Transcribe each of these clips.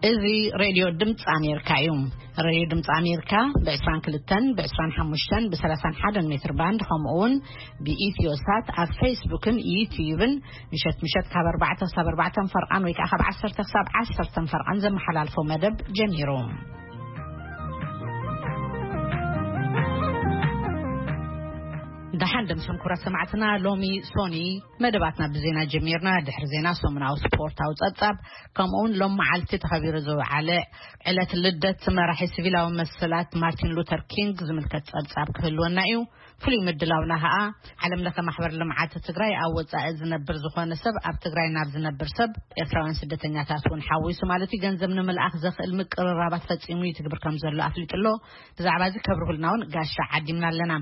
እዚ ሬድዮ ድምፂ ኣሜሪካ እዩ። ሬድዮ ድምፂ ኣሜሪካ ብ22፣ ብ25፣ ብ31 ሜትር ባንድ፣ ከምኡ እውን ብኢትዮ ሳት ኣብ ፌስቡክን ዩትዩብን ምሸት ምሸት ካብ ኣርባዕተ ክሳብ ኣርባዕተ ፈርቓን ወይ ከዓ ካብ ዓሰርተ ክሳብ ዓሰርተ ፈርቓን ዘመሓላልፎ መደብ ጀሚሩ። ደሓን ደምሰም ኩራ ሰማዕትና፣ ሎሚ ሶኒ መደባትና ብዜና ጀሚርና። ድሕሪ ዜና ሰሙናዊ ስፖርታዊ ጸብጻብ፣ ከምኡውን ሎም መዓልቲ ተኸቢሩ ዝውዓለ ዕለት ልደት መራሒ ሲቪላዊ መሰላት ማርቲን ሉተር ኪንግ ዝምልከት ጸብጻብ ክህልወና እዩ። ፍሉይ ምድላውና ኸኣ፣ ዓለም ለኸ ማሕበር ልምዓት ትግራይ ኣብ ወጻኢ ዝነብር ዝኾነ ሰብ ኣብ ትግራይ ናብ ዝነብር ሰብ፣ ኤርትራውያን ስደተኛታት እውን ሓዊሱ ማለት እዩ፣ ገንዘብ ንምልኣኽ ዘኽእል ምቅርራባት ፈጺሙ ይትግብር ከም ዘሎ ኣፍሊጡ ኣሎ። ብዛዕባ እዚ ከብርሁልና እውን ጋሻ ዓዲምና ኣለና።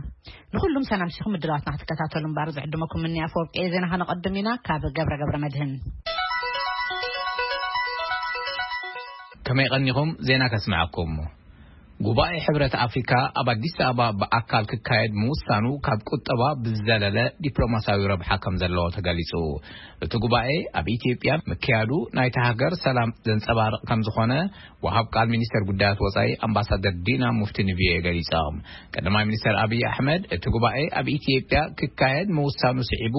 ንኹሉም ሰላም ሲኹም ምድላዋትና ክትከታተሉ እምበር ዝዕድመኩም እኒ ኣፈወርቂ እየ። ዜና ከነቐድም ኢና ካብ ገብረ ገብረ መድህን። ከመይ ቀኒኹም? ዜና ከስምዐኩም። ጉባኤ ሕብረት ኣፍሪካ ኣብ ኣዲስ ኣበባ ብኣካል ክካየድ ምውሳኑ ካብ ቁጠባ ብዝዘለለ ዲፕሎማሲያዊ ረብሓ ከም ዘለዎ ተገሊጹ። እቲ ጉባኤ ኣብ ኢትዮጵያ ምክያዱ ናይቲ ሃገር ሰላም ዘንጸባርቕ ከም ዝኾነ ወሃብ ቃል ሚኒስተር ጉዳያት ወጻኢ ኣምባሳደር ዲና ሙፍቲ ንቪኦኤ ገሊጾም። ቀዳማይ ሚኒስተር ኣብይ ኣሕመድ እቲ ጉባኤ ኣብ ኢትዮጵያ ክካየድ ምውሳኑ ስዒቡ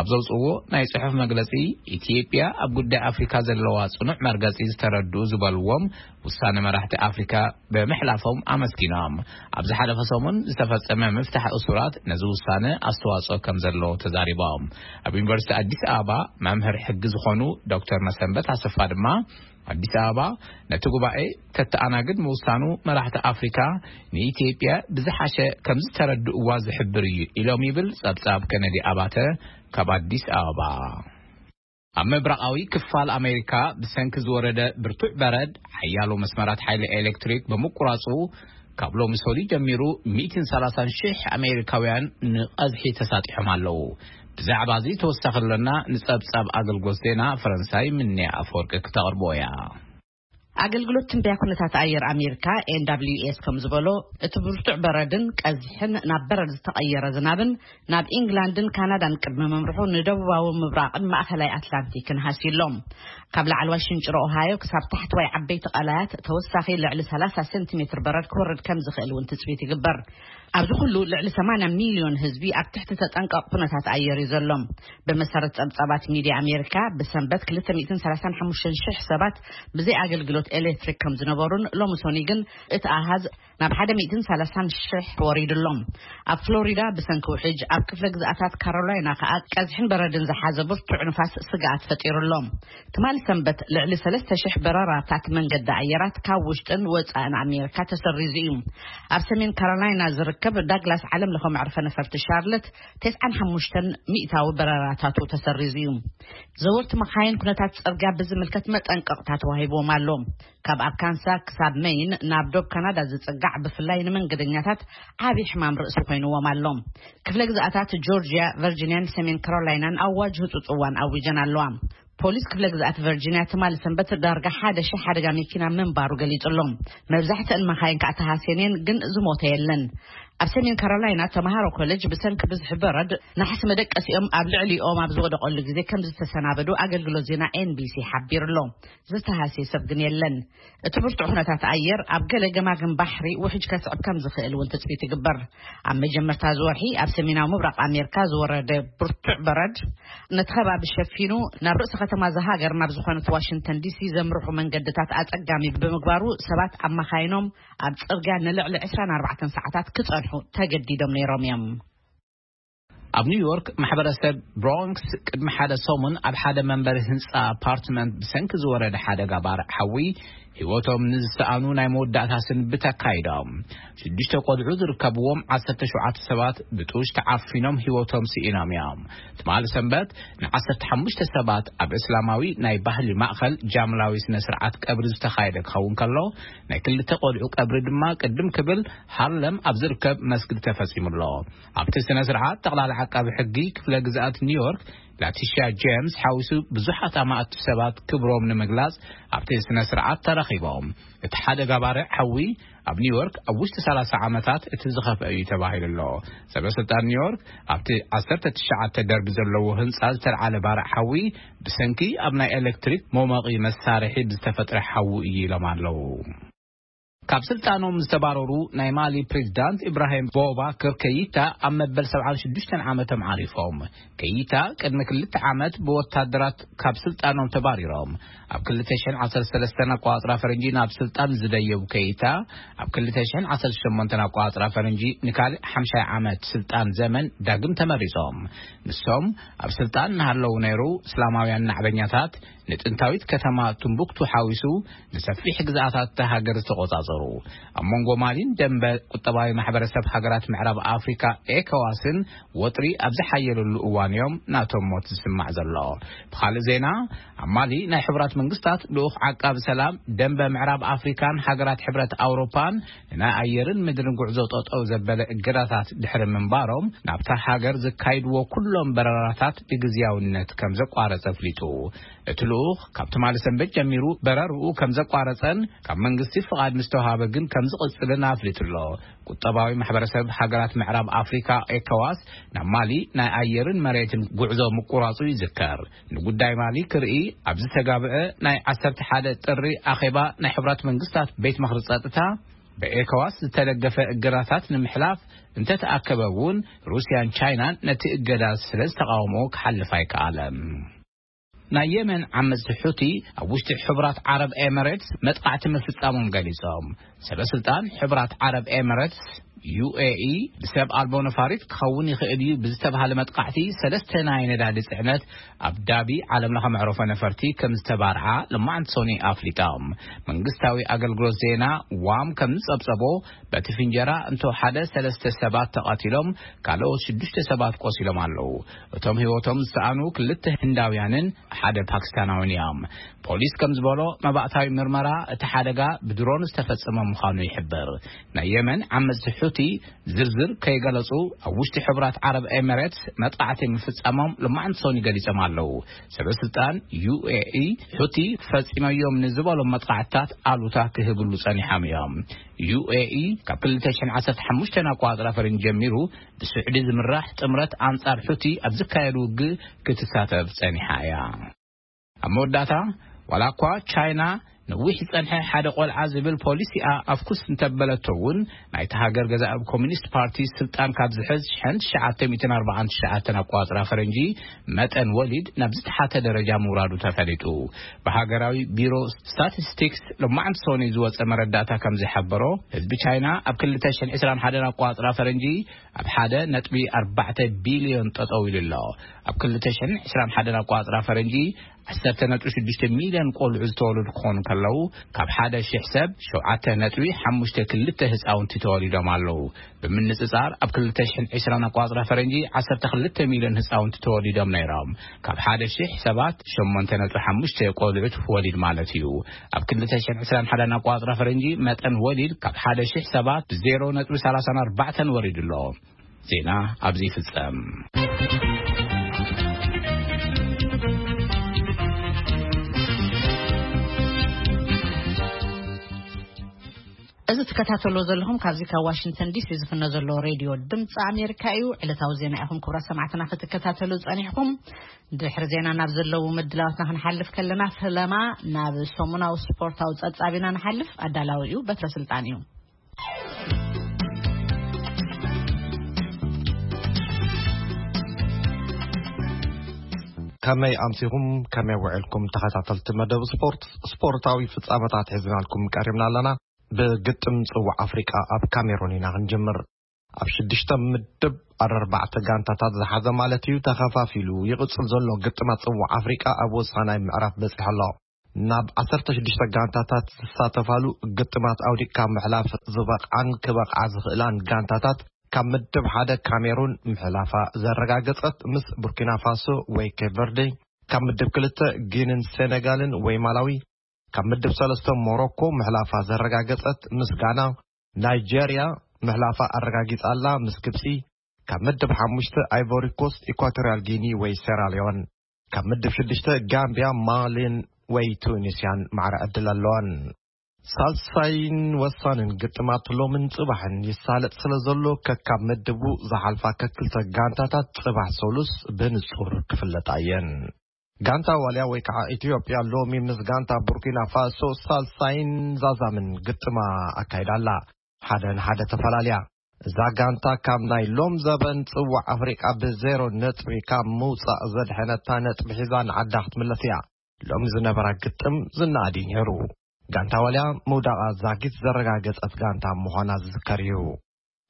ኣብ ዘውፅዎ ናይ ጽሑፍ መግለጺ፣ ኢትዮጵያ ኣብ ጉዳይ ኣፍሪካ ዘለዋ ጽኑዕ መርገጺ ዝተረድኡ ዝበልዎም ውሳነ መራሕቲ ኣፍሪካ ብምሕላፎም ኣመስጊኖም። ኣብ ዝሓለፈ ሰሙን ዝተፈጸመ ምፍታሕ እሱራት ነዚ ውሳነ ኣስተዋጽኦ ከም ዘለዎ ተዛሪቦም። ኣብ ዩኒቨርሲቲ ኣዲስ ኣበባ መምህር ሕጊ ዝኾኑ ዶክተር መሰንበት ኣሰፋ ድማ፣ ኣዲስ ኣበባ ነቲ ጉባኤ ተተኣናግድ ምውሳኑ መራሕቲ ኣፍሪካ ንኢትዮጵያ ብዝሓሸ ከም ዝተረድእዋ ዝሕብር እዩ ኢሎም ይብል ጸብጻብ ከነዲ ኣባተ ካብ ኣዲስ ኣበባ። ኣብ ምብራቓዊ ክፋል ኣሜሪካ ብሰንኪ ዝወረደ ብርቱዕ በረድ ሓያሎ መስመራት ሓይሊ ኤሌክትሪክ ብምቁራጹ፣ ካብ ሎሚ ሰሉስ ጀሚሩ ሚእትን ሰላሳን ሽሕ ኣሜሪካውያን ንቐዝሒ ተሳጢሖም ኣለዉ። ብዛዕባ እዚ ተወሳኺ ኣለና። ንጸብጻብ ኣገልግሎት ዜና ፈረንሳይ ምንያ ኣፈወርቂ ክተቕርቦ እያ። ኣገልግሎት ትንበያ ኩነታት ኣየር ኣሜሪካ፣ ኤን ዳብሊው ኤስ፣ ከም ዝበሎ፣ እቲ ብርቱዕ በረድን ቀዝሕን ናብ በረድ ዝተቐየረ ዝናብን ናብ ኢንግላንድን ካናዳን ቅድሚ ምምርሑ ንደቡባዊ ምብራቕን ማእኸላይ ኣትላንቲክን ሃስዩ ኣሎ። ካብ ላዕለዋይ ሽንጭሮ ኦሃዮ ክሳብ ታሕተዋይ ዓበይቲ ቀላያት ተወሳኺ ልዕሊ ሰላሳ ሴንቲሜትር በረድ ክወርድ ከም ዝኽእል እውን ትጽቢት ይግበር። ኣብዚ ኩሉ ልዕሊ ሰማንያ ሚልዮን ህዝቢ ኣብ ትሕቲ ተጠንቀቕ ኩነታት ኣየር እዩ ዘሎ። ብመሰረት ጸብጻባት ሚድያ ኣሜሪካ፣ ብሰንበት ክልተ ሚእትን ሰላሳን ሓሙሽተን ሽሕ ሰባት ብዘይ ኣገልግሎት ኤሌክትሪክ ከም ዝነበሩን ሎሚ ሶኒ ግን እቲ ኣሃዝ ናብ ሓደ ሚእትን ሰላሳን ሽሕ ወሪዱ ኣሎ። ኣብ ፍሎሪዳ ብሰንኪ ውሕጅ፣ ኣብ ክፍለ ግዝኣታት ካሮላይና ከኣ ቀዝሕን በረድን ዝሓዘ ብርቱዕ ንፋስ ስግኣት ፈጢሩ ኣሎ። ትማሊ ሰንበት ልዕሊ ሰለስተ ሽሕ በረራታት መንገዲ ኣየራት ካብ ውሽጥን ወጻእን ኣሜሪካ ተሰሪዙ እዩ። ኣብ ሰሜን ካሮላይና ዝርከብ ዳግላስ ዓለም ለኸ መዕርፈ ነፈርቲ ሻርለት ተስዓን ሓሙሽተን ሚእታዊ በረራታቱ ተሰሪዙ እዩ። ዘወርቲ መኻይን ኩነታት ጽርግያ ብዝምልከት መጠንቀቕታ ተዋሂብዎም ኣሎ። ካብ ኣርካንሳ ክሳብ መይን ናብ ዶብ ካናዳ ዝጽጋዕ ብፍላይ ንመንገደኛታት ዓቢ ሕማም ርእሲ ኮይንዎም ኣሎ። ክፍለ ግዝኣታት ጆርጅያ፣ ቨርጂንያን ሰሜን ካሮላይናን ኣዋጅ ህጹጽ እዋን ኣዊጀን ኣለዋ። ፖሊስ ክፍለ ግዝኣት ቨርጂንያ ትማሊ ሰንበት ዳርጋ ሓደ ሺሕ ሓደጋ መኪና ምንባሩ ገሊጹ ኣሎ። መብዛሕትአን መኻይን ከዓ ተሃስየን እየን፣ ግን ዝሞተ የለን። ኣብ ሰሜን ካሮላይና ተምሃሮ ኮሌጅ ብሰንኪ ብዝሒ በረድ ናሕሲ መደቀሲኦም ኣብ ልዕሊኦም ኣብ ዝወደቐሉ ግዜ ከም ዝተሰናበዱ ኣገልግሎት ዜና ኤንቢሲ ሓቢሩ ኣሎ። ዝተሃስየ ሰብ ግን የለን። እቲ ብርቱዕ ኩነታት ኣየር ኣብ ገለ ገማግም ባሕሪ ውሕጅ ከስዕብ ከም ዝኽእል እውን ትጽቢት ይግበር። ኣብ መጀመርታ እዚ ወርሒ ኣብ ሰሜናዊ ምብራቕ ኣሜሪካ ዝወረደ ብርቱዕ በረድ ነቲ ከባቢ ሸፊኑ ናብ ርእሲ ከተማ እዛ ሃገር ናብ ዝኾነት ዋሽንግተን ዲሲ ዘምርሑ መንገድታት ኣጸጋሚ ብምግባሩ ሰባት ኣብ መኻይኖም ኣብ ጽርግያ ንልዕሊ ዕስራን ኣርባዕተን ሰዓታት ክጸንሑ ተገዲዶም ነይሮም እዮም። ኣብ ኒውዮርክ ማሕበረሰብ ብሮንክስ ቅድሚ ሓደ ሰሙን ኣብ ሓደ መንበሪ ህንፃ ኣፓርትመንት ብሰንኪ ዝወረደ ሓደጋ ባርዕ ሓዊ ህይወቶም ንዝሰኣኑ ናይ መወዳእታ ስንብት ኣካይዶም። ሽዱሽተ ቆልዑ ዝርከብዎም ዓሰርተ ሸውዓተ ሰባት ብጡሽ ተዓፊኖም ህይወቶም ስኢኖም እዮም። ትማሊ ሰንበት ንዓሰርተ ሓሙሽተ ሰባት ኣብ እስላማዊ ናይ ባህሊ ማእኸል ጃምላዊ ስነ ስርዓት ቀብሪ ዝተኻየደ ክኸውን ከሎ፣ ናይ ክልተ ቆልዑ ቀብሪ ድማ ቅድም ክብል ሃርለም ኣብ ዝርከብ መስጊድ ተፈጺሙ ኣሎ። ኣብቲ ስነ ስርዓት ጠቕላላ ዓቃቢ ሕጊ ክፍለ ግዝኣት ኒውዮርክ ላቲሻ ጄምስ ሓዊሱ ብዙሓት ኣማእቲ ሰባት ክብሮም ንምግላጽ ኣብቲ ስነ ስርዓት ተረኺቦም። እቲ ሓደጋ ባርዕ ሓዊ ኣብ ኒውዮርክ ኣብ ውሽጢ ሰላሳ ዓመታት እቲ ዝኸፍአ እዩ ተባሂሉ ኣሎ። ሰበ ስልጣን ኒውዮርክ ኣብቲ ዓሰርተ ትሽዓተ ደርቢ ዘለዎ ህንጻ ዝተልዓለ ባርዕ ሓዊ ብሰንኪ ኣብ ናይ ኤሌክትሪክ መሞቒ መሳርሒ ብዝተፈጥረ ሓዊ እዩ ኢሎም ኣለዉ። ካብ ስልጣኖም ዝተባረሩ ናይ ማሊ ፕሬዚዳንት ኢብራሂም ቦባክር ከይታ ኣብ መበል ሰብዓን ሽዱሽተን ዓመቶም ዓሪፎም። ከይታ ቅድሚ ክልተ ዓመት ብወታደራት ካብ ስልጣኖም ተባሪሮም። ኣብ ክልተ ሽሕን ዓሰርተ ሰለስተን ኣቋጽራ ፈረንጂ ናብ ስልጣን ዝደየቡ ከይታ፣ ኣብ ክልተ ሽሕን ዓሰርተ ሸሞንተን ኣቋጽራ ፈረንጂ ንካልእ ሓምሻይ ዓመት ስልጣን ዘመን ዳግም ተመሪጾም። ንሶም ኣብ ስልጣን እናሃለዉ ነይሩ፣ እስላማውያን ናዕበኛታት ንጥንታዊት ከተማ ቱምቡክቱ ሓዊሱ ንሰፊሕ ግዝኣታት እታ ሃገር ዝተቖጻጸሩ። ኣብ መንጎ ማሊን ደንበ ቁጠባዊ ማሕበረሰብ ሃገራት ምዕራብ ኣፍሪካ ኤኮዋስን ወጥሪ ኣብ ዝሓየለሉ እዋን እዮም ናቶም ሞት ዝስማዕ ዘሎ። ብኻልእ ዜና፣ ኣብ ማሊ ናይ ሕቡራት መንግስታት ልኡኽ ዓቃቢ ሰላም ደንበ ምዕራብ ኣፍሪካን ሃገራት ሕብረት ኣውሮፓን ንናይ ኣየርን ምድርን ጉዕዞ ጠጠው ዘበለ እገዳታት ድሕሪ ምንባሮም፣ ናብታ ሃገር ዝካይድዎ ኩሎም በረራታት ብግዝያውነት ከም ዘቋረጸ ኣፍሊጡ። እቲ ልኡኽ ካብ ትማሊ ሰንበት ጀሚሩ በረርኡ ከም ዘቋረጸን ካብ መንግስቲ ፍቓድ ምስ ተዋሃበ ግን ከም ዝቕጽልን ኣፍሊጡ ኣሎ። ቁጠባዊ ማሕበረሰብ ሃገራት ምዕራብ ኣፍሪካ ኤኮዋስ ናብ ማሊ ናይ ኣየርን መሬትን ጉዕዞ ምቁራጹ ይዝከር። ንጉዳይ ማሊ ክርኢ ኣብ ዝተጋብአ ናይ ዓሰርተ ሓደ ጥሪ ኣኼባ ናይ ሕቡራት መንግስታት ቤት ምኽሪ ጸጥታ፣ ብኤኮዋስ ዝተደገፈ እገዳታት ንምሕላፍ እንተተኣከበ እውን፣ ሩስያን ቻይናን ነቲ እገዳ ስለ ዝተቃወምኦ ክሓልፍ ኣይከኣለን። ናይ የመን ዓመጽቲ ሑቲ ኣብ ውሽጢ ሕቡራት ዓረብ ኤሚሬትስ መጥቃዕቲ ምፍጻሞም ገሊጾም። ሰበ ስልጣን ሕቡራት ዓረብ ኤሚሬትስ፣ ዩ ኤ ኢ፣ ብሰብ ኣልቦ ነፋሪት ክኸውን ይኽእል እዩ ብዝተባሃለ መጥቃዕቲ ሰለስተ ናይ ነዳዲ ጽዕነት ኣብ ዳቢ ዓለም ለኸ መዕረፎ ነፈርቲ ከም ዝተባርዓ ልማዕንቲ ሶኒ ኣፍሊጦም። መንግስታዊ ኣገልግሎት ዜና ዋም ከም ዝጸብጸቦ፣ በቲ ፍንጀራ እንተወሓደ ሰለስተ ሰባት ተቐቲሎም፣ ካልኦት ሽዱሽተ ሰባት ቆሲሎም ኣለዉ። እቶም ህይወቶም ዝሰኣኑ ክልተ ህንዳውያንን ሓደ ፓኪስታናውን እዮም። ፖሊስ ከም ዝበሎ፣ መባእታዊ ምርመራ እቲ ሓደጋ ብድሮን ዝተፈጸመ ምዃኑ ይሕብር። ናይ የመን ዓመጽቲ ሑቲ ዝርዝር ከይገለጹ፣ ኣብ ውሽጢ ሕቡራት ዓረብ ኤሚሬትስ መጥቃዕቲ ምፍጻሞም ልማዕንቲ ሶኒ ገሊጾም ኣለዉ። ሰበ ስልጣን ዩ ኤ ኢ፣ ሑቲ ፈጺመዮም ንዝበሎም መጥቃዕትታት ኣሉታ ክህብሉ ጸኒሖም እዮም። ዩ ኤ ኢ ካብ ክልተ ሽሕን ዓሰርተ ሓሙሽተን ኣቋጽራ ፈረንጂ ጀሚሩ ብስዑዲ ዝምራሕ ጥምረት ኣንጻር ሑቲ ኣብ ዝካየድ ውግእ ክትሳተፍ ጸኒሓ እያ። ኣብ መወዳእታ፣ ዋላ እኳ ቻይና ነዊሕ ዝጸንሐ ሓደ ቆልዓ ዝብል ፖሊሲኣ ኣፍኩስ እንተበለቶ እውን፣ ናይታ ሃገር ገዛእ ኮሚኒስት ፓርቲ ስልጣን ካብ ዝሕዝ ሽሕን ትሽዓተ ሚእትን ኣርባዓን ትሽዓተን ኣቋጽራ ፈረንጂ መጠን ወሊድ ናብ ዝተሓተ ደረጃ ምውራዱ ተፈሊጡ። ብሃገራዊ ቢሮ ስታቲስቲክስ ሎማዕንቲ ሶኒ ዝወጸ መረዳእታ ከም ዝሓበሮ፣ ህዝቢ ቻይና ኣብ ክልተ ሽሕን ዕስራን ሓደን ኣቋጽራ ፈረንጂ ኣብ ሓደ ነጥቢ ኣርባዕተ ቢልዮን ጠጠው ኢሉ ኣሎ። ኣብ ክልተ ሽሕን ዕስራን ሓደን ኣቋጽራ ፈረንጂ ዓሰርተ ነጥቢ ሽዱሽተ ሚልዮን ቆልዑ ዝተወለዱ ክኾኑ ከለዉ፣ ካብ ሓደ ሽሕ ሰብ ሸውዓተ ነጥቢ ሓሙሽተ ክልተ ህፃውንቲ ተወሊዶም ኣለዉ። ብምንጽጻር፣ ኣብ ክልተ ሽሕን ዕስራን ኣቋጽራ ፈረንጂ ዓሰርተ ክልተ ሚልዮን ህፃውንቲ ተወሊዶም ነይሮም። ካብ ሓደ ሽሕ ሰባት ሸሞንተ ነጥቢ ሓሙሽተ ቆልዑት ወሊድ ማለት እዩ። ኣብ ክልተ ሽሕን ዕስራን ሓደን ኣቋጽራ ፈረንጂ መጠን ወሊድ ካብ ሓደ ሽሕ ሰባት ብዜሮ ነጥቢ ሰላሳን ኣርባዕተን ወሪዱ ኣሎ። ዜና ኣብዚ ይፍጸም። እዚ ትከታተሎ ዘለኹም ካብዚ ካብ ዋሽንግተን ዲ ሲ ዝፍኖ ዘሎ ሬድዮ ድምፂ ኣሜሪካ እዩ። ዕለታዊ ዜና ኢኹም ክቡራት ሰማዕትና ክትከታተሉ ጸኒሕኩም። ድሕሪ ዜና ናብ ዘለዉ ምድላዋትና ክንሓልፍ ከለና፣ ፈለማ ናብ ሰሙናዊ ስፖርታዊ ጸብጻብ ኢና ንሓልፍ። ኣዳላዊ እዩ በትረ ስልጣን እዩ። ከመይ ኣምሲኹም፣ ከመይ ውዕልኩም ተኸታተልቲ መደብ ስፖርት? ስፖርታዊ ፍጻመታት ሒዝናልኩም ቀሪብና ኣለና። ብግጥም ጽዋዕ ኣፍሪቃ ኣብ ካሜሩን ኢና ክንጅምር። ኣብ ሽዱሽተ ምድብ ኣርባዕተ ጋንታታት ዝሓዘ ማለት እዩ፣ ተኸፋፊሉ ይቕጽል ዘሎ ግጥማት ጽዋዕ ኣፍሪቃ ኣብ ወሳናይ ምዕራፍ በጺሑ ኣሎ። ናብ ዓሰርተ ሽዱሽተ ጋንታታት ዝሳተፋሉ ግጥማት ኣውዲቕካ ምሕላፍ ዝበቕዓን ክበቕዓ ዝኽእላን ጋንታታት፣ ካብ ምድብ ሓደ ካሜሩን ምሕላፋ ዘረጋገጸት ምስ ቡርኪና ፋሶ ወይ ኬፕ ቨርዴ፣ ካብ ምድብ ክልተ ጊንን ሴኔጋልን ወይ ማላዊ፣ ካብ ምድብ ሰለስተ ሞሮኮ ምሕላፋ ዘረጋገጸት ምስ ጋና፣ ናይጄርያ ምሕላፋ ኣረጋጊጻ ኣላ ምስ ግብጺ፣ ካብ ምድብ ሓሙሽተ ኣይቮሪ ኮስት፣ ኢኳቶሪያል ጊኒ ወይ ሴራሊዮን፣ ካብ ምድብ ሽዱሽተ ጋምቢያ፣ ማሊን ወይ ቱኒስያን ማዕረ ዕድል ኣለወን። ሳልሳይን ወሳንን ግጥማት ሎምን ጽባሕን ይሳለጥ ስለ ዘሎ፣ ከካብ ምድቡ ዝሓልፋ ከክልተ ጋንታታት ጽባሕ ሰሉስ ብንጹር ክፍለጣ እየን። ጋንታ ዋልያ ወይ ከዓ ኢትዮጵያ ሎሚ ምስ ጋንታ ቡርኪና ፋሶ ሳልሳይን ዛዛምን ግጥማ ኣካይዳ ኣላ። ሓደ ንሓደ ተፈላልያ። እዛ ጋንታ ካብ ናይ ሎም ዘበን ጽዋዕ ኣፍሪቃ ብዜሮ ነጥቢ ካብ ምውጻእ ዘድሐነታ ነጥቢ ሒዛ ንዓዳ ክትምለስ እያ። ሎም ዝነበራ ግጥም ዝነኣድ እዩ ነይሩ። ጋንታ ዋልያ ምውዳቓ ዛጊት ዘረጋገጸት ጋንታ ምዃና ዝዝከር እዩ።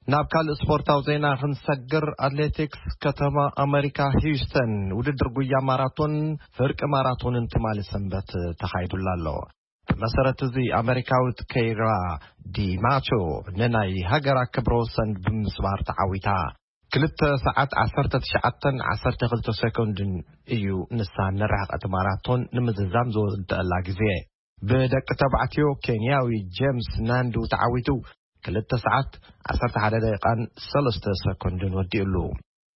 ናብ ካልእ ስፖርታዊ ዜና ክንሰግር፣ ኣትሌቲክስ ከተማ ኣመሪካ ሂውስተን ውድድር ጉያ ማራቶን ፍርቂ ማራቶንን ትማሊ ሰንበት ተኻይዱላ ኣሎ። ብመሰረት እዚ ኣመሪካዊት ከይራ ዲማቾ ንናይ ሃገራ ክብረ ወሰን ብምስባር ተዓዊታ። ክልተ ሰዓት ዓሰርተ ትሽዓተን ዓሰርተ ክልተ ሰኮንድን እዩ ንሳ ንርሕቀት ማራቶን ንምዝዛም ዝወደአላ ግዜ። ብደቂ ተባዕትዮ ኬንያዊ ጄምስ ናንዱ ተዓዊቱ ክልተ ሰዓት ዓሰርተ ሓደ ደቂቃን ሰለስተ ሰኮንድን ወዲኡሉ።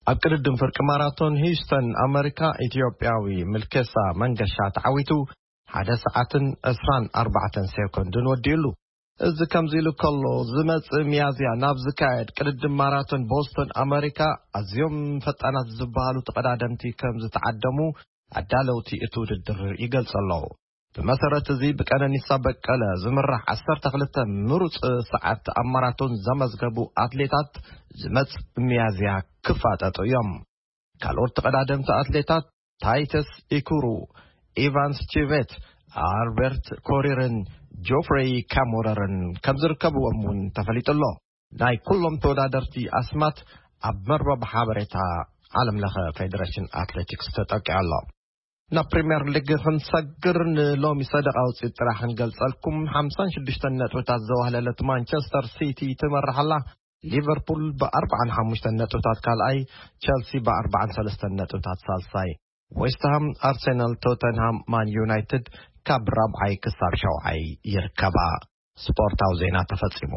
ኣብ ቅድድም ፍርቂ ማራቶን ሂውስተን ኣመሪካ ኢትዮጵያዊ ምልኬሳ መንገሻ ተዓዊቱ ሓደ ሰዓትን ዕስራን ኣርባዕተን ሴኮንድን ወዲኡሉ። እዚ ከምዚ ኢሉ ከሎ፣ ዝመጽእ ሚያዝያ ናብ ዝካየድ ቅድድም ማራቶን ቦስቶን ኣመሪካ ኣዝዮም ፈጣናት ዝበሃሉ ተቐዳደምቲ ከም ዝተዓደሙ ኣዳለውቲ እቲ ውድድር ይገልጹ ኣለዉ። ብመሰረት እዚ ብቀነኒሳ በቀለ ዝምራሕ ዓሰርተ ክልተ ምሩጽ ሰዓት ኣብ ማራቶን ዘመዝገቡ ኣትሌታት ዝመጽእ ሚያዝያ ክፋጠጡ እዮም። ካልኦት ተቐዳደምቲ ኣትሌታት ታይተስ ኢኩሩ፣ ኢቫንስ ቺቬት፣ ኣልበርት ኮሪርን ጆፍሬይ ካሞረርን ከም ዝርከብዎም እውን ተፈሊጡ ኣሎ። ናይ ኩሎም ተወዳደርቲ ኣስማት ኣብ መርበብ ሓበሬታ ዓለም ለኸ ፌደሬሽን ኣትሌቲክስ ተጠቂዑ ኣሎ። ናብ ፕሪምየር ሊግ ክንሰግር ንሎሚ ሰደቓ ውፅኢት ጥራሕ ክንገልጸልኩም፣ ሓምሳን ሽዱሽተን ነጥብታት ዘዋህለለት ማንቸስተር ሲቲ ትመርሕ ኣላ። ሊቨርፑል ብኣርባዓን ሓሙሽተን ነጥብታት ካልኣይ፣ ቸልሲ ብኣርባዓን ሰለስተን ነጥብታት ሳልሳይ፣ ዌስትሃም፣ ኣርሰናል፣ ቶተንሃም፣ ማን ዩናይትድ ካብ ራብዓይ ክሳብ ሻውዓይ ይርከባ። ስፖርታዊ ዜና ተፈጺሙ።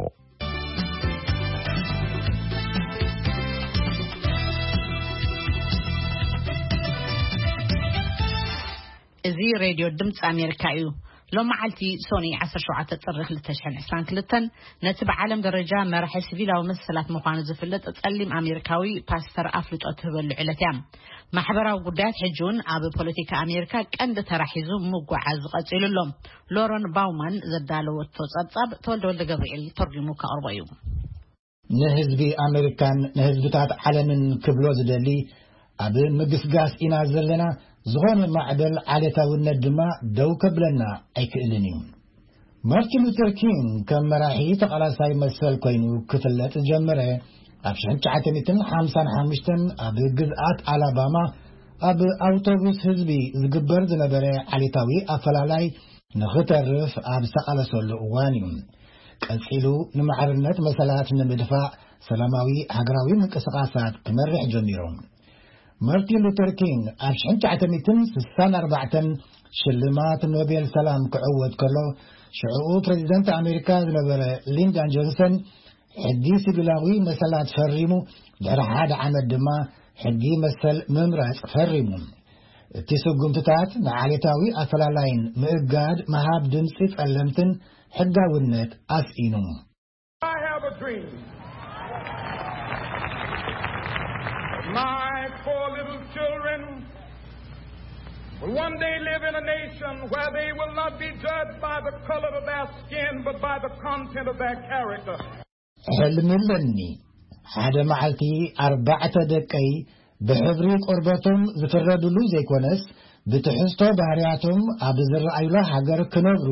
እዚ ሬድዮ ድምፂ ኣሜሪካ እዩ። ሎም መዓልቲ ሶኒ ዓሰርተ ሸውዓተ ጥሪ ክልተ ሽሕን ዕስራን ክልተን ነቲ ብዓለም ደረጃ መራሒ ሲቪላዊ መሰላት ምዃኑ ዝፍለጥ ጸሊም ኣሜሪካዊ ፓስተር ኣፍልጦ ትህበሉ ዕለት እያ። ማሕበራዊ ጉዳያት ሕጂ እውን ኣብ ፖለቲካ ኣሜሪካ ቀንዲ ተራ ሒዙ ምጉዓዝ ቀጺሉ ኣሎ። ሎረን ባውማን ዘዳለወቶ ጸብጻብ ተወልደ ወልደ ገብርኤል ተርጒሙ ከቕርቦ እዩ። ንህዝቢ ኣሜሪካን ንህዝብታት ዓለምን ክብሎ ዝደሊ፣ ኣብ ምግስጋስ ኢና ዘለና፣ ዝኾነ ማዕበል ዓሌታውነት ድማ ደው ከብለና ኣይክእልን እዩ። ማርቲን ሉተር ኪንግ ከም መራሒ ተቓላሳይ መሰል ኮይኑ ክፍለጥ ዝጀመረ ኣብ ሽሕን ትሽዓተ ሚእትን ሓምሳን ሓሙሽተን ኣብ ግዝኣት ኣላባማ ኣብ ኣውቶቡስ ህዝቢ ዝግበር ዝነበረ ዓሌታዊ ኣፈላላይ ንኽተርፍ ኣብ ዝተቓለሰሉ እዋን እዩ። ቀጺሉ ንማዕርነት መሰላት ንምድፋእ ሰላማዊ ሃገራዊ ምንቅስቓሳት ክመርሕ ጀሚሩ። ማርቲን ሉተር ኪንግ ኣብ ሽሕን ትሽዓተ ሚእትን ስሳን ኣርባዕተን ሽልማት ኖቤል ሰላም ክዕወት ከሎ፣ ሽዕኡ ፕሬዚደንት ኣሜሪካ ዝነበረ ሊንደን ጆንሰን ሕጊ ሲቪላዊ መሰላት ፈሪሙ፣ ድሕሪ ሓደ ዓመት ድማ ሕጊ መሰል ምምራጽ ፈሪሙ። እቲ ስጉምትታት ንዓሌታዊ ኣፈላላይን ምእጋድ ምሃብ ድምጺ ጸለምትን ሕጋውነት ኣስኢኑ። I have a dream. My four little children will one day live in a nation where they will not be judged by the color of their skin, but by the content of their character. ሕልሚ ኣለኒ። ሓደ መዓልቲ ኣርባዕተ ደቀይ ብሕብሪ ቆርበቶም ዝፍረድሉ ዘይኮነስ፣ ብትሕዝቶ ባህርያቶም ኣብ ዝረኣዩላ ሃገር ክነብሩ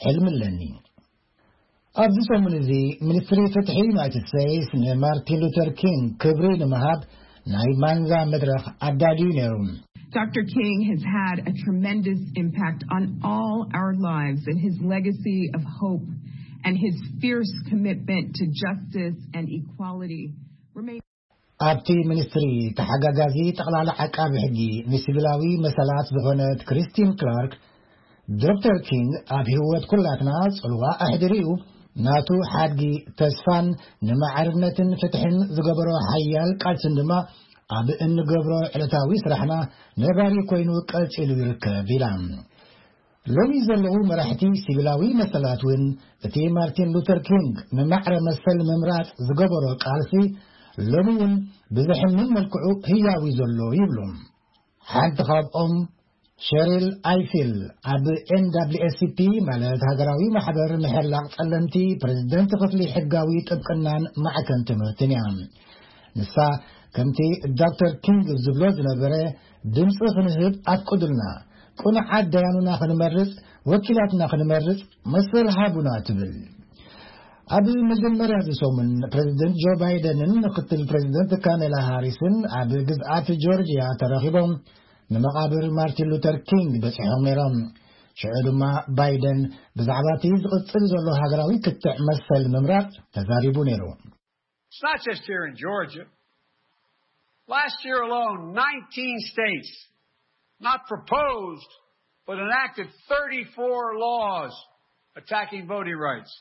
ሕልሚ ኣለኒ። ኣብዚ ሰሙን እዚ፣ ሚኒስትሪ ፍትሒ ዩናይትድ ስቴትስ ንማርቲን ሉተር ኪንግ ክብሪ ንምሃብ ናይ ማንዛ መድረኽ ኣዳልዩ ነይሩ። Doctor King has had a tremendous impact on all our lives, and his legacy of hope and his fierce commitment to justice and equality remain ኣብቲ ሚኒስትሪ ተሓጋጋዚ ጠቕላላ ዓቃቢ ሕጊ ንሲቪላዊ መሰላት ዝኾነት ክሪስቲን ክላርክ፣ ዶክተር ኪንግ ኣብ ህይወት ኩላትና ጽልዋ ኣሕዲሩ እዩ፣ ናቱ ሓድጊ ተስፋን ንማዕርነትን ፍትሕን ዝገበሮ ሓያል ቃልስን ድማ ኣብ እንገብሮ ዕለታዊ ስራሕና ነባሪ ኮይኑ ቀጺሉ ይርከብ ኢላ። ሎሚ ዘለዉ መራሕቲ ሲቪላዊ መሰላት እውን እቲ ማርቲን ሉተር ኪንግ ንማዕረ መሰል ምምራጽ ዝገበሮ ቃልሲ ሎሚ እውን ብዝሕምን መልክዑ ህያዊ ዘሎ ይብሉ። ሓንቲ ካብኦም ሸሪል ኣይፊል ኣብ ኤን ደብሊው ኤስ ሲ ፒ ማለት ሃገራዊ ማሕበር ምሕላቕ ጸለምቲ ፕሬዝደንት ክፍሊ ሕጋዊ ጥብቅናን ማዕከን ትምህርትን እያ። ንሳ ከምቲ ዶክተር ኪንግ ዝብሎ ዝነበረ ድምፂ ክንህብ ኣፍቅዱልና፣ ቁኑዓት ደያኑና ክንመርፅ፣ ወኪላትና ክንመርፅ መሰል ሃቡና ትብል። ኣብ መጀመርያ እዚ ሰሙን ፕሬዝደንት ጆ ባይደንን ምክትል ፕሬዝደንት ካሜላ ሃሪስን ኣብ ግዝኣት ጆርጂያ ተረኺቦም ንመቓብር ማርቲን ሉተር ኪንግ በጺሖም ነይሮም። ሽዑ ድማ ባይደን ብዛዕባ እቲ ዝቕጽል ዘሎ ሃገራዊ ክትዕ መሰል ምምራጽ ተዛሪቡ ነይሩ። It's not just here in Georgia. Last year alone, nineteen states not proposed but enacted thirty-four laws attacking voting rights.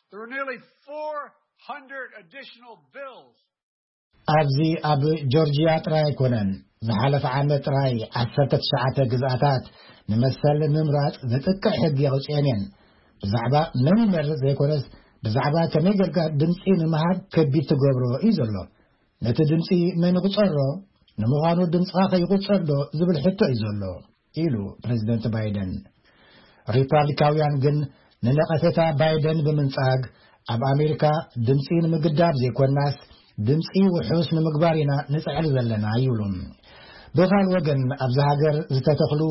There were nearly four hundred additional bills. ኣብዚ ኣብ ጆርጂያ ጥራይ ኣይኮነን። ዝሓለፈ ዓመት ጥራይ ዓሰርተ ትሽዓተ ግዝኣታት ንመሰል ምምራጽ ዘጥቅዕ ሕጊ ኣውጺኤን እየን። ብዛዕባ መን ይመርጽ ዘይኮነስ ብዛዕባ ከመይ ጌርካ ድምጺ ንምሃብ ከቢድ ትገብሮ እዩ ዘሎ። ነቲ ድምጺ መን ይቑጸሮ? ንምዃኑ ድምጽኻ ከይቑጸር ዶ ዝብል ሕቶ እዩ ዘሎ ኢሉ ፕሬዝደንት ባይደን። ሪፓብሊካውያን ግን ንነቐፌታ ባይደን ብምንጻግ ኣብ ኣሜሪካ ድምጺ ንምግዳብ ዘይኮናስ ድምጺ ውሑስ ንምግባር ኢና ንጽዕር ዘለና ይብሉ። ብኻል ወገን ኣብዚ ሃገር ዝተተኽሉ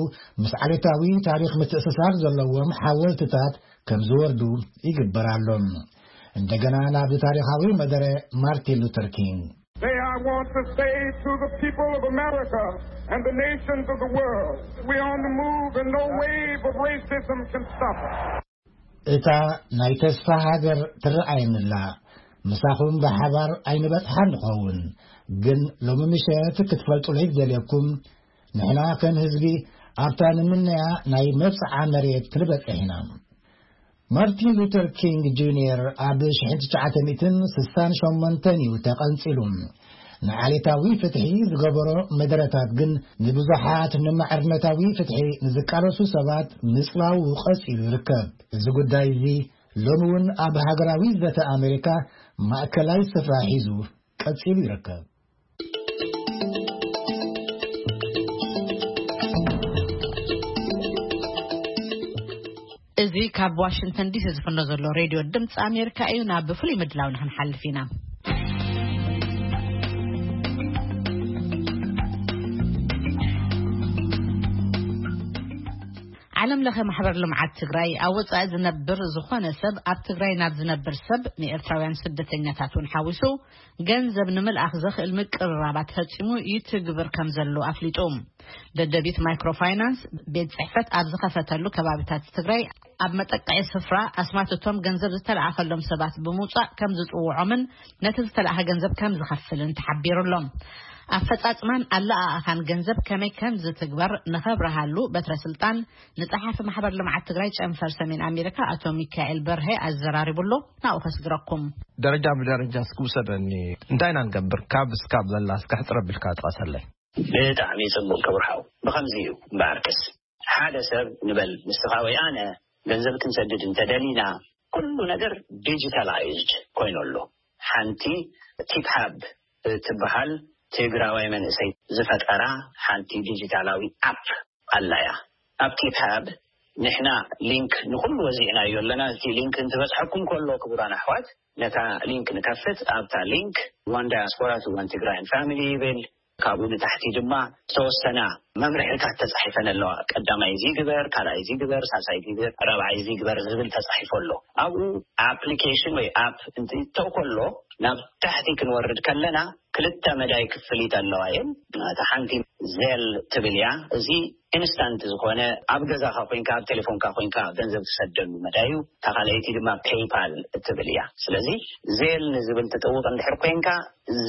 ምስ ዓሌታዊ ታሪኽ ምትእስሳር ዘለዎም ሓወልትታት ከም ዝወርዱ ይግበር ኣሎ። እንደገና ናብ ታሪኻዊ መደረ ማርቲን ሉተር ኪንግ። They I want to say to the people of America and the nations of the world, we're on the move and no wave of racism can stop us. እታ ናይ ተስፋ ሃገር ትረኣየንላ። ምሳኹም ብሓባር ኣይንበጽሓን ንኸውን፣ ግን ሎሚ ምሸት ክትፈልጡለይ ዝደልየኩም ንሕና ከም ህዝቢ ኣብታ ንምነያ ናይ መብጽዓ መሬት ክንበጽሕ ኢና። ማርቲን ሉተር ኪንግ ጁኒየር ኣብ ሽሕን ትሽዓተ ሚእትን ስሳን ሸሞንተን እዩ ተቐንጺሉ። ንዓሌታዊ ፍትሒ ዝገበሮ መደረታት ግን ንብዙሓት ንማዕርነታዊ ፍትሒ ንዝቃለሱ ሰባት ምጽላው ቀጺሉ ይርከብ። እዚ ጉዳይ እዚ ሎሚ እውን ኣብ ሃገራዊ ዘተ ኣሜሪካ ማእከላይ ስፍራ ሒዙ ቀጺሉ ይርከብ። እዚ ካብ ዋሽንግተን ዲሲ ዝፍኖ ዘሎ ሬድዮ ድምፂ ኣሜሪካ እዩ። ናብ ፍሉይ ምድላው ንክንሓልፍ ኢና። ዓለም ለኸ ማሕበር ልምዓት ትግራይ ኣብ ወፃኢ ዝነብር ዝኾነ ሰብ ኣብ ትግራይ ናብ ዝነብር ሰብ ንኤርትራውያን ስደተኛታት እውን ሓዊሱ ገንዘብ ንምልኣኽ ዘኽእል ምቅርራባት ፈፂሙ ይትግብር ከም ዘሎ ኣፍሊጡ። ደደቢት ማይክሮፋይናንስ ቤት ፅሕፈት ኣብ ዝኸፈተሉ ከባቢታት ትግራይ ኣብ መጠቀዒ ስፍራ ኣስማት እቶም ገንዘብ ዝተለኣኸሎም ሰባት ብምውፃእ ከም ዝፅውዖምን ነቲ ዝተለኣኸ ገንዘብ ከም ዝኸፍልን ተሓቢሩ ኣሎ። ኣፈፃፅማን ኣለኣኣኻን ገንዘብ ከመይ ከም ዝትግበር ንኸብረሃሉ በትረ ስልጣን ንፀሓፊ ማሕበር ልምዓት ትግራይ ጨንፈር ሰሜን ኣሜሪካ ኣቶ ሚካኤል በርሀ ኣዘራሪቡ ኣሎ። ናብኡ ከስግረኩም። ደረጃ ብደረጃ እስኪ ውሰደኒ። እንታይ ኢና ንገብር? ካብ እስካብ ዘላ እስኪ ሕፅር ኣቢልካ ጥቀሰለይ። ብጣዕሚ ጽቡቅ ክቡር ሓው። ብኸምዚ እዩ እምበኣርከስ፣ ሓደ ሰብ ንበል ንስኻ ወይ ኣነ ገንዘብ ክንሰድድ እንተደሊና፣ ኩሉ ነገር ዲጂታላይዝድ ኮይኑ ኣሎ። ሓንቲ ቲፕሃብ እትበሃል ትግራዋይ መንእሰይ ዝፈጠራ ሓንቲ ዲጂታላዊ ኣፕ ኣላ እያ። ኣብ ቲፕሃብ ንሕና ሊንክ ንኹሉ ወዚዕናዮ ኣለና። እቲ ሊንክ እንትበጽሐኩም ከሎ ክቡራን ኣሕዋት፣ ነታ ሊንክ ንከፍት። ኣብታ ሊንክ one diaspora to one Tigrayan family ይብል። ካብኡ ንታሕቲ ድማ ዝተወሰና መምርሕታት ተጻሒፈን ኣለዋ። ቀዳማይ እዚ ግበር፣ ካልኣይ እዚ ግበር፣ ሳልሳይ እዚ ግበር፣ ራብዓይ እዚ ግበር ዝብል ተጻሒፉ ኣሎ። ኣብኡ ኣፕሊኬሽን ወይ ኣፕ እንትእተው ከሎ ናብ ታሕቲ ክንወርድ ከለና ክልተ መዳይ ክፍሊት ኣለዋ እየን። እታ ሓንቲ ዜል ትብል እያ። እዚ ኢንስታንት ዝኾነ ኣብ ገዛኻ ኮይንካ ኣብ ቴሌፎንካ ኮይንካ ገንዘብ ትሰደሉ መዳይ እዩ። እታ ካልኣይቲ ድማ ፔይፓል እትብል እያ። ስለዚ ዜል ንዝብል ትጥውቕ እንድሕር ኮይንካ፣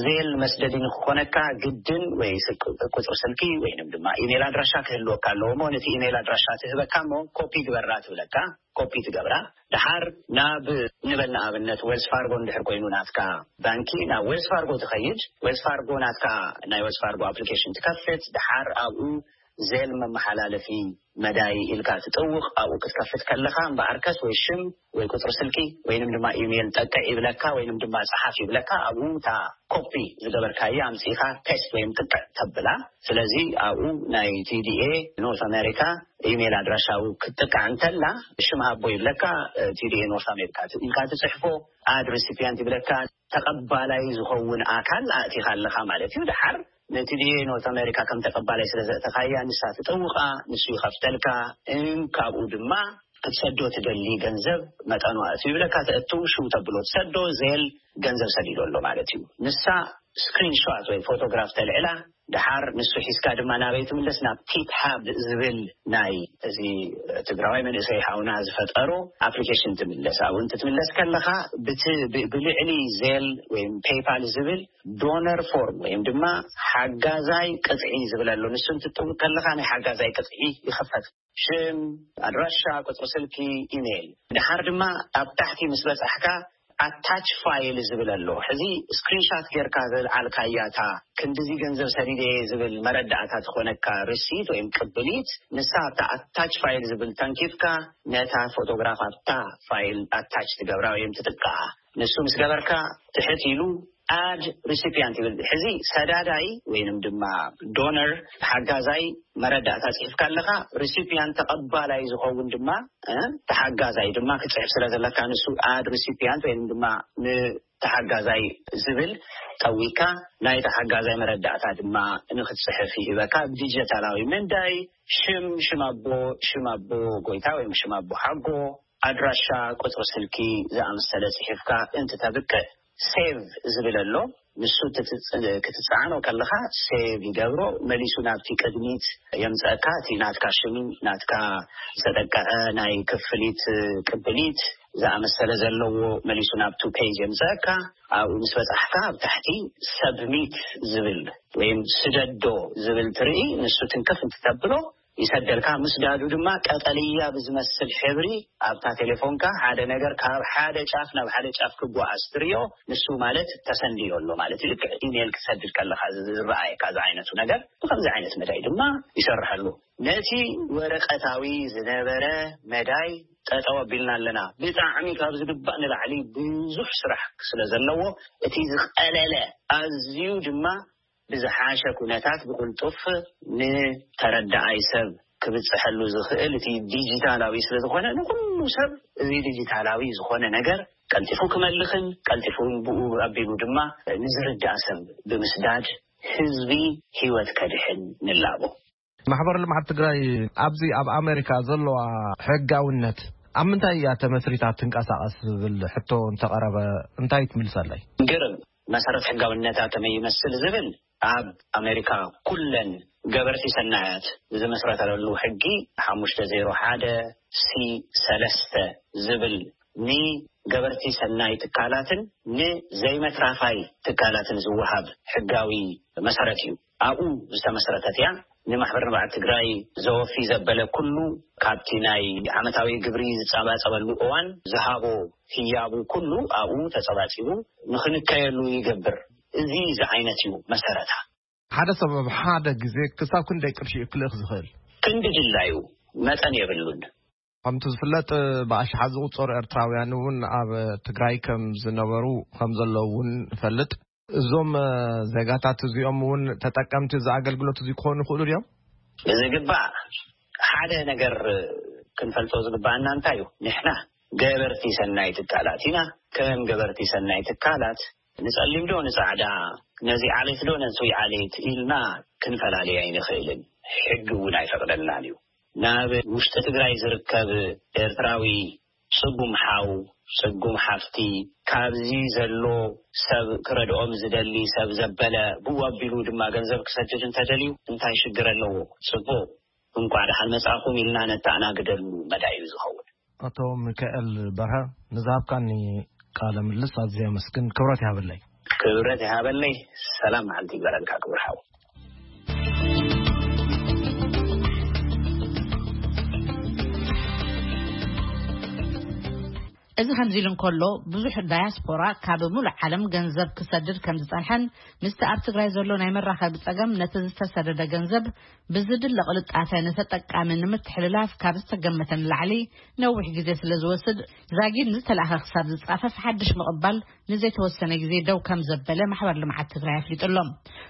ዜል መስደዲ ንክኾነካ ግድን ወይ ስልክ ቁፅሪ ስልኪ ወይንም ድማ ኢሜይል ኣድራሻ ክህልወካ ኣለዎ። እሞ ነቲ ኢሜይል ኣድራሻ ትህበካ እሞ ኮፒ ግበራ ትብለካ። ኮፒ ትገብራ። ድሓር ናብ ንበል ንኣብነት ዌልስ ፋርጎ እንድሕር ኮይኑ ናትካ ባንኪ ናብ ዌልስ ፋርጎ ትኸይድ። ዌልስ ፋርጎ ናትካ ናይ ዌልስ ፋርጎ ኣፕሊኬሽን ትከፍት። ድሓር ኣብኡ ዜል መመሓላለፊ መዳይ ኢልካ ትጥውቕ። ኣብኡ ክትከፍት ከለኻ እምበኣርከስ ወይ ሽም ወይ ቁፅሪ ስልኪ ወይንም ድማ ኢሜይል ጠቅዕ ይብለካ ወይንም ድማ ፀሓፍ ይብለካ። ኣብኡ እታ ኮፒ ዝገበርካዮ ኣምፂኻ ፔስት ወይም ጥቅዕ ተብላ። ስለዚ ኣብኡ ናይ ቲዲኤ ኖርት ኣሜሪካ ኢሜይል ኣድራሻ ክትጥቃዕ እንተላ ሽም ሃቦ ይብለካ። ቲዲኤ ኖርት ኣሜሪካ ኢልካ ትፅሕፎ። ኣድ ሪሲፒያንት ይብለካ። ተቐባላይ ዝኸውን ኣካል ኣእቲኻ ኣለኻ ማለት እዩ። ድሓር ነቲ ዲኤ ኖርት ኣሜሪካ ከም ተቐባላይ ስለ ዘእተኻያ ንሳ ትጠውቓ፣ ንሱ ይኸፍተልካ። እን ካብኡ ድማ ክትሰዶ ትደሊ ገንዘብ መጠኑ ኣእትዩ ይብለካ። ተእቱ ሽው ተብሎ ትሰዶ ዜል ገንዘብ ሰዲዶ ኣሎ ማለት እዩ። ንሳ ስክሪንሾት ወይ ፎቶግራፍ ተልዕላ። ድሓር ንሱ ሒዝካ ድማ ናበይ ትምለስ? ናብ ቲፕ ሃብ ዝብል ናይ እዚ ትግራዋይ መንእሰይ ሓውና ዝፈጠሮ ኣፕሊኬሽን ትምለስ። ኣብኡ እንትትምለስ ከለኻ ብቲ ብ- ብልዕሊ ዜል ወይም ፔይፓል ዝብል ዶነር ፎርም ወይም ድማ ሓጋዛይ ቅጥዒ ዝብል ኣሎ። ንሱ እንትትጥውቅ ከለኻ ናይ ሓጋዛይ ቅጥዒ ይኸፈት። ሽም፣ ኣድራሻ፣ ቁፅሪ ስልኪ፣ ኢሜይል። ድሓር ድማ ኣብ ታሕቲ ምስ በፃሕካ ኣታች ፋይል ዝብል ኣሎ። ሕዚ ስክሪንሻት ጌርካ ዘልዓልካያ እታ ክንድዚ ገንዘብ ሰዲደ ዝብል መረዳእታ ትኾነካ ሪሲት ወይም ቅብሊት፣ ንሳ ኣብታ ኣታች ፋይል ዝብል ተንኪፍካ ነታ ፎቶግራፍ ኣብታ ፋይል ኣታች ትገብራ ወይም ትጥቃዓ። ንሱ ምስ ገበርካ ትሕት ኢሉ ኣድ ሪሲፒያንት ይብል። ሕዚ ሰዳዳይ ወይንም ድማ ዶነር ሓጋዛይ መረዳእታ ጽሒፍካ ኣለኻ። ሪሲፒያንት ተቐባላይ ዝኸውን ድማ እ፣ ተሓጋዛይ ድማ ክትጽሕፍ ስለ ዘለካ ንሱ ኣድ ሪሲፒያንት ወይንም ድማ ንተሓጋዛይ ዝብል ጠዊካ ናይ ተሓጋዛይ መረዳእታ ድማ ንክትጽሕፍ ይህበካ። ዲጂታላዊ መንዳይ ሽም፣ ሽም ኣቦ፣ ሽም ኣቦ ጎይታ ወይም ሽም ኣቦ ሓጎ፣ ኣድራሻ፣ ቁጽሪ ስልኪ ዝኣመሰለ ጽሒፍካ እንትተብቅዕ ሴቭ ዝብል ኣሎ። ንሱ ክትጽ- ክትጽዓኖ ከለኻ ሴቭ ይገብሮ፣ መሊሱ ናብቲ ቅድሚት የምጸእካ። እቲ ናትካ ሽም፣ ናትካ ዝተጠቀዐ ናይ ክፍሊት ቅብሊት ዝኣመሰለ ዘለዎ መሊሱ ናብቱ ፔጅ የምጸእካ። ኣብኡ ምስ በጻሕካ ኣብ ታሕቲ ሰብሚት ዝብል ወይም ስደዶ ዝብል ትርኢ። ንሱ ትንክፍ እንትተብሎ ይሰደልካ። ምስዳዱ ድማ ቀጠልያ ብዝመስል ሕብሪ ኣብታ ቴሌፎንካ ሓደ ነገር ካብ ሓደ ጫፍ ናብ ሓደ ጫፍ ክጓዓዝ ትሪኦ። ንሱ ማለት ተሰንድዮ ኣሎ ማለት እዩ። ልክዕ ኢሜይል ክትሰድድ ከለኻ ዝረኣየካ እዚ ዓይነቱ ነገር ብከምዚ ዓይነት መዳይ ድማ ይሰርሐሉ። ነቲ ወረቀታዊ ዝነበረ መዳይ ጠጠው ኣቢልና ኣለና። ብጣዕሚ ካብ ዝግባእ ንላዕሊ ብዙሕ ስራሕ ስለ ዘለዎ እቲ ዝቀለለ ኣዝዩ ድማ ብዝሓሸ ኩነታት ብቕልጡፍ ንተረዳኣይ ሰብ ክብፅሐሉ ዝኽእል እቲ ዲጂታላዊ ስለ ዝኾነ ንኩሉ ሰብ እዚ ዲጂታላዊ ዝኾነ ነገር ቀልጢፉ ክመልኽን ቀልጢፉ ብኡ ኣቢሉ ድማ ንዝርዳእ ሰብ ብምስዳድ ህዝቢ ህይወት ከድሕን ንላቦ። ማሕበር ልምዓት ትግራይ ኣብዚ ኣብ ኣሜሪካ ዘለዋ ሕጋውነት ኣብ ምንታይ እያ ተመስሪታ ትንቀሳቐስ ዝብል ሕቶ እንተቐረበ እንታይ ትምልሰለይ? ግርም መሰረት ሕጋውነታ ከመይ ይመስል ዝብል ኣብ ኣሜሪካ ኩለን ገበርቲ ሰናያት ዝመስረተለሉ ሕጊ ሓሙሽተ ዜሮ ሓደ ሲ ሰለስተ ዝብል ንገበርቲ ሰናይ ትካላትን ንዘይመትራፋይ ትካላትን ዝወሃብ ሕጋዊ መሰረት እዩ። ኣብኡ ዝተመስረተት እያ። ንማሕበር ንብዓት ትግራይ ዘወፊ ዘበለ ኩሉ ካብቲ ናይ ዓመታዊ ግብሪ ዝጸባጸበሉ እዋን ዝሃቦ ህያቡ ኩሉ ኣብኡ ተጸባጺቡ ንኽንከየሉ ይገብር። እዚ ዝዓይነት እዩ መሰረታ። ሓደ ሰብ ኣብ ሓደ ግዜ ክሳብ ክንደይ ቅርሺ እዩ ክልእኽ ዝኽእል? ክንዲ ድላዩ መጠን የብሉን። ከምቲ ዝፍለጥ ብኣሽሓት ዝቑጸሩ ኤርትራውያን እውን ኣብ ትግራይ ከም ዝነበሩ ከም ዘለዉ እውን ንፈልጥ። እዞም ዜጋታት እዚኦም እውን ተጠቀምቲ እዚ ኣገልግሎት እዚ ክኾኑ ይኽእሉ ድዮም? ብዝግባእ ሓደ ነገር ክንፈልጦ ዝግባኣና እንታይ እዩ? ንሕና ገበርቲ ሰናይ ትካላት ኢና። ከም ገበርቲ ሰናይ ትካላት ንጸሊም ዶ ንጻዕዳ፣ ነዚ ዓሌት ዶ ነዚ ዓሌት ኢልና ክንፈላለይ ኣይንኽእልን። ሕጊ እውን ኣይፈቕደልናን እዩ። ናብ ውሽጢ ትግራይ ዝርከብ ኤርትራዊ ጽጉም ሓው፣ ጽጉም ሓፍቲ፣ ካብዚ ዘሎ ሰብ ክረድኦም ዝደሊ ሰብ ዘበለ ብኡ ኣቢሉ ድማ ገንዘብ ክሰድድ እንተደልዩ እንታይ ሽግር ኣለዎ? ጽቡቕ። እንቋዕ ደሓን መጻእኩም ኢልና ነተኣናግደሉ መዳይ እዩ ዝኸውን። ኣቶ ሚካኤል በርሀ፣ ንዝሃብካኒ ቃለ ምልልስ ኣዝየ ኣመስግን። ክብረት ይሃበለይ። ክብረት ይሃበለይ። ሰላም መዓልቲ ይግበረልካ ክቡር ሓው። እዚ ከምዚ ኢሉ እንከሎ፣ ብዙሕ ዳያስፖራ ካብ ሙሉእ ዓለም ገንዘብ ክሰድድ ከም ዝጸንሐን፣ ምስቲ ኣብ ትግራይ ዘሎ ናይ መራኸቢ ጸገም ነቲ ዝተሰደደ ገንዘብ ብዝድለ ቅልጣፈ ንተጠቃሚ ንምትሕልላፍ ካብ ዝተገመተ ንላዕሊ ነዊሕ ግዜ ስለ ዝወስድ፣ ዛጊድ ንዝተላእኸ ክሳብ ዝጻፈፍ ሓድሽ ምቕባል ንዘይተወሰነ ግዜ ደው ከም ዘበለ ማሕበር ልምዓት ትግራይ ኣፍሊጡ ኣሎ።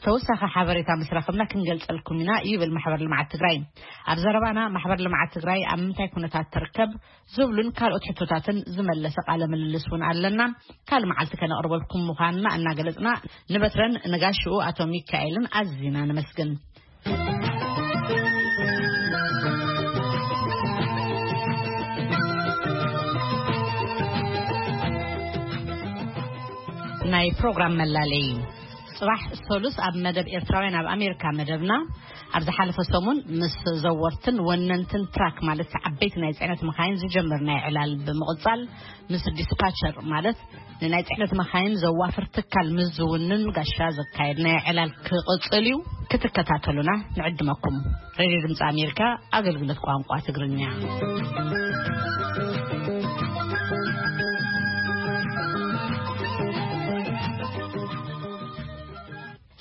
ተወሳኺ ሓበሬታ ምስ ረኸብና ክንገልጸልኩም ኢና ይብል ማሕበር ልምዓት ትግራይ። ኣብ ዘረባና ማሕበር ልምዓት ትግራይ ኣብ ምንታይ ኩነታት ትርከብ ዝብሉን ካልኦት ሕቶታትን ዝመለሰ ቃለ ምልልስ እውን ኣለና። ካልእ መዓልቲ ከነቕርበልኩም ምዃንና እናገለጽና፣ ንበትረን ንጋሽኡ ኣቶ ሚካኤልን ኣዚና ነመስግን። ናይ ፕሮግራም መላለይ። ጽባሕ ሰሉስ ኣብ መደብ ኤርትራውያን ኣብ ኣሜሪካ መደብና፣ ኣብ ዝሓለፈ ሰሙን ምስ ዘወርትን ወነንትን ትራክ ማለት ዓበይቲ ናይ ጽዕነት መኻይን ዝጀመርናዮ ዕላል ብምቕጻል፣ ምስ ዲስፓቸር ማለት ንናይ ጽዕነት መኻይን ዘዋፍር ትካል ምስ ዝውንን ጋሻ ዘካየድናዮ ዕላል ክቕጽል እዩ። ክትከታተሉና ንዕድመኩም። ሬድዮ ድምፂ ኣሜሪካ፣ ኣገልግሎት ቋንቋ ትግርኛ።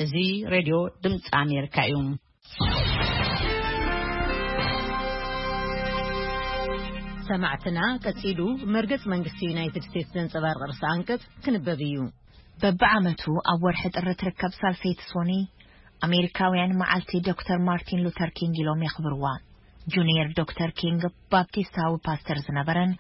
እዚ ሬድዮ ድምፂ ኣሜሪካ እዩ። ሰማዕትና፣ ቀጺሉ መርገጽ መንግስቲ ዩናይትድ ስቴትስ ዘንጸባርቕ ርእሰ ኣንቀጽ ክንበብ እዩ። በብዓመቱ ኣብ ወርሒ ጥሪ ትርከብ ሳልሰይቲ ሶኒ፣ ኣሜሪካውያን መዓልቲ ዶክተር ማርቲን ሉተር ኪንግ ኢሎም የኽብርዋ። ጁኒየር ዶክተር ኪንግ ባፕቲስታዊ ፓስተር ዝነበረን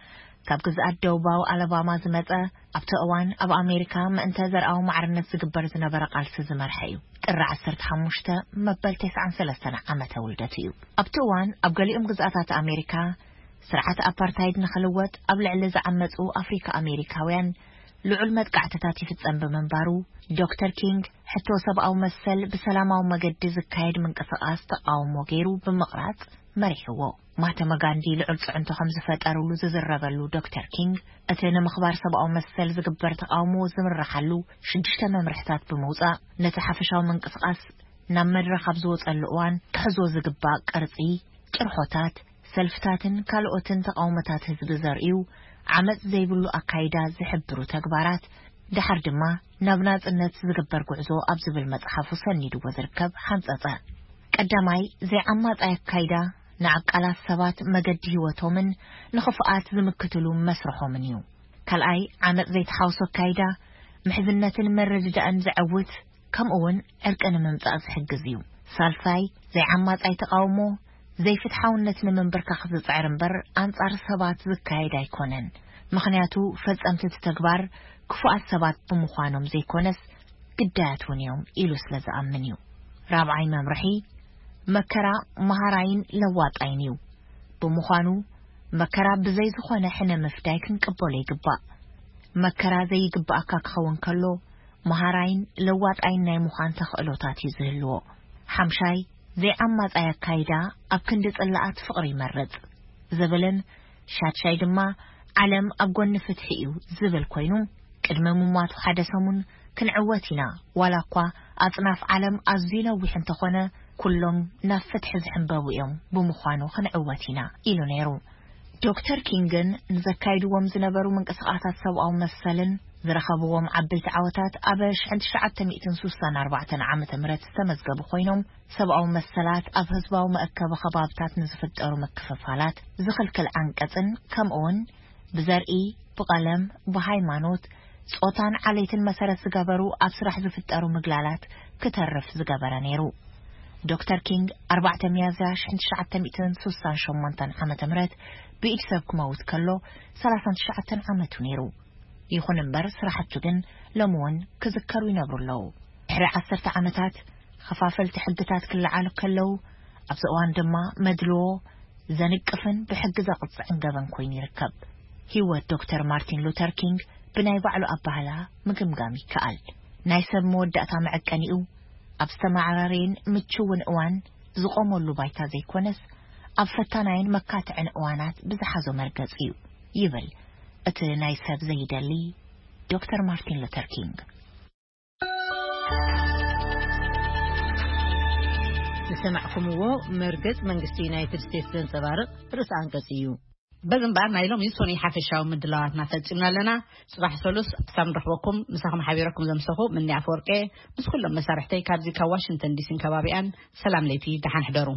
ካብ ግዝኣት ደቡባዊ ኣለባማ ዝመጸ፣ ኣብቲ እዋን ኣብ ኣሜሪካ ምእንተ ዘርኣዊ ማዕርነት ዝግበር ዝነበረ ቃልሲ ዝመርሐ እዩ። ጥሪ ዓሰርተ ሓሙሽተ መበል ተስዓን ሰለስተን ዓመተ ውልደቱ እዩ። ኣብቲ እዋን ኣብ ገሊኦም ግዝኣታት ኣሜሪካ ስርዓት ኣፓርታይድ ንኽልወጥ ኣብ ልዕሊ ዝዓመጹ ኣፍሪካ ኣሜሪካውያን ልዑል መጥቃዕትታት ይፍጸም ብምንባሩ፣ ዶክተር ኪንግ ሕቶ ሰብኣዊ መሰል ብሰላማዊ መገዲ ዝካየድ ምንቅስቓስ ተቓውሞ ገይሩ ብምቕራጽ መሪሕዎ። ማህተመ ጋንዲ ልዑል ጽዕንቶ ከም ዝፈጠሩሉ ዝዝረበሉ ዶክተር ኪንግ፣ እቲ ንምኽባር ሰብኣዊ መሰል ዝግበር ተቓውሞ ዝምርሓሉ ሽዱሽተ መምርሕታት ብምውጻእ፣ ነቲ ሓፈሻዊ ምንቅስቓስ ናብ መድረኽ ኣብ ዝወጸሉ እዋን ክሕዞ ዝግባእ ቅርጺ፣ ጭርሖታት፣ ሰልፍታትን ካልኦትን ተቓውሞታት ህዝቢ ዘርእዩ ዓመጽ ዘይብሉ ኣካይዳ ዝሕብሩ ተግባራት፣ ደሓር ድማ ናብ ናጽነት ዝግበር ጉዕዞ ኣብ ዝብል መጽሓፉ ሰኒድዎ ዝርከብ ሓንጸጸ። ቀዳማይ፣ ዘይዓማጻይ ኣካይዳ ንዓቃላት ሰባት መገዲ ህይወቶምን ንኽፍኣት ዝምክትሉ መስርሖምን እዩ። ካልኣይ፣ ዓመጽ ዘይተሓውሶ ኣካይዳ ምሕዝነትን መረድዳእን ዘዐውት፣ ከምኡ እውን ዕርቂ ንምምጻእ ዝሕግዝ እዩ። ሳልሳይ፣ ዘይዓማጻይ ተቓውሞ ዘይፍትሓውነት ንምንብርካኽ ዝጽዕር እምበር ኣንጻር ሰባት ዝካየድ ኣይኮነን። ምኽንያቱ ፈጸምቲ እቲ ተግባር ክፉኣት ሰባት ብምዃኖም ዘይኮነስ ግዳያት እውን እዮም ኢሉ ስለ ዝኣምን እዩ። ራብዓይ መምርሒ፣ መከራ መሃራይን ለዋጣይን እዩ። ብምዃኑ መከራ ብዘይ ዝኾነ ሕነ ምፍዳይ ክንቅበሎ ይግባእ። መከራ ዘይግባኣካ ክኸውን ከሎ መሃራይን ለዋጣይን ናይ ምዃን ተኽእሎታት እዩ ዝህልዎ። ሓምሻይ፣ ዘይዓማጻይ ኣካይዳ ኣብ ክንዲ ጽላኣት ፍቕሪ ይመርጽ ዝብልን ሻድሻይ ድማ ዓለም ኣብ ጎኒ ፍትሒ እዩ ዝብል ኮይኑ፣ ቅድሚ ምሟቱ ሓደ ሰሙን ክንዕወት ኢና፣ ዋላ እኳ ኣጽናፍ ዓለም ኣዝዩ ነዊሕ እንተኾነ፣ ኩሎም ናብ ፍትሒ ዝሕንበቡ እዮም፣ ብምዃኑ ክንዕወት ኢና ኢሉ ነይሩ። ዶክተር ኪንግን ንዘካይድዎም ዝነበሩ ምንቅስቓሳት ሰብኣዊ መሰልን ዝረኸብዎም ዓበይቲ ዓወታት ኣብ ሽሕን ትሽዓተ ሚእትን ስሳን ኣርባዕተን ዓመተ ምህረት ዝተመዝገቡ ኮይኖም፣ ሰብኣዊ መሰላት ኣብ ህዝባዊ መእከቢ ከባብታት ንዝፍጠሩ ምክፍፋላት ዝኽልክል ዓንቀጽን ከምኡውን ብዘርኢ፣ ብቐለም፣ ብሃይማኖት፣ ጾታን ዓሌትን መሰረት ዝገበሩ ኣብ ስራሕ ዝፍጠሩ ምግላላት ክተርፍ ዝገበረ ነይሩ። ዶክተር ኪንግ ኣርባዕተ ሚያዝያ ሽሕን ትሽዓተ ሚእትን ስሳን ሸሞንተን ዓመተ ምህረት ብኢድ ሰብ ክመውት ከሎ ሰላሳን ትሽዓተን ዓመቱ ነይሩ። ይኹን እምበር ስራሕቱ ግን ሎሚ እውን ክዝከሩ ይነብሩ ኣለዉ። ድሕሪ ዓሰርተ ዓመታት ኸፋፈልቲ ሕግታት ክለዓሉ ከለዉ ኣብዚ እዋን ድማ መድልዎ ዘንቅፍን ብሕጊ ዘቕጽዕን ገበን ኮይኑ ይርከብ። ህይወት ዶክተር ማርቲን ሉተር ኪንግ ብናይ ባዕሉ ኣባህላ ምግምጋም ይከኣል። ናይ ሰብ መወዳእታ መዐቀኒኡ ኣብ ዝተመዓራረየን ምችውን እዋን ዝቖመሉ ባይታ ዘይኮነስ ኣብ ፈታናይን መካትዕን እዋናት ብዝሓዞ መርገጽ እዩ ይብል እቲ ናይ ሰብ ዘይደሊ ዶክተር ማርቲን ሉተር ኪንግ። ዝሰማዕኩምዎ መርገጽ መንግስቲ ዩናይትድ ስቴትስ ዘንጸባርቕ ርእሰ ኣንቀጽ እዩ። በዚ እምበኣር ናይ ሎሚ ሶኒ ሓፈሻዊ ምድላዋትና ፈጺምና ኣለና። ጽባሕ ሰሉስ ክሳብ ንረኽበኩም ምሳኹም ሓቢረኩም ዘምሰኹ ምኒ ኣፈወርቄ ምስ ኩሎም መሳርሕተይ ካብዚ ካብ ዋሽንግተን ዲሲን ከባቢኣን ሰላም ለይቲ ደሓን ሕደሩ።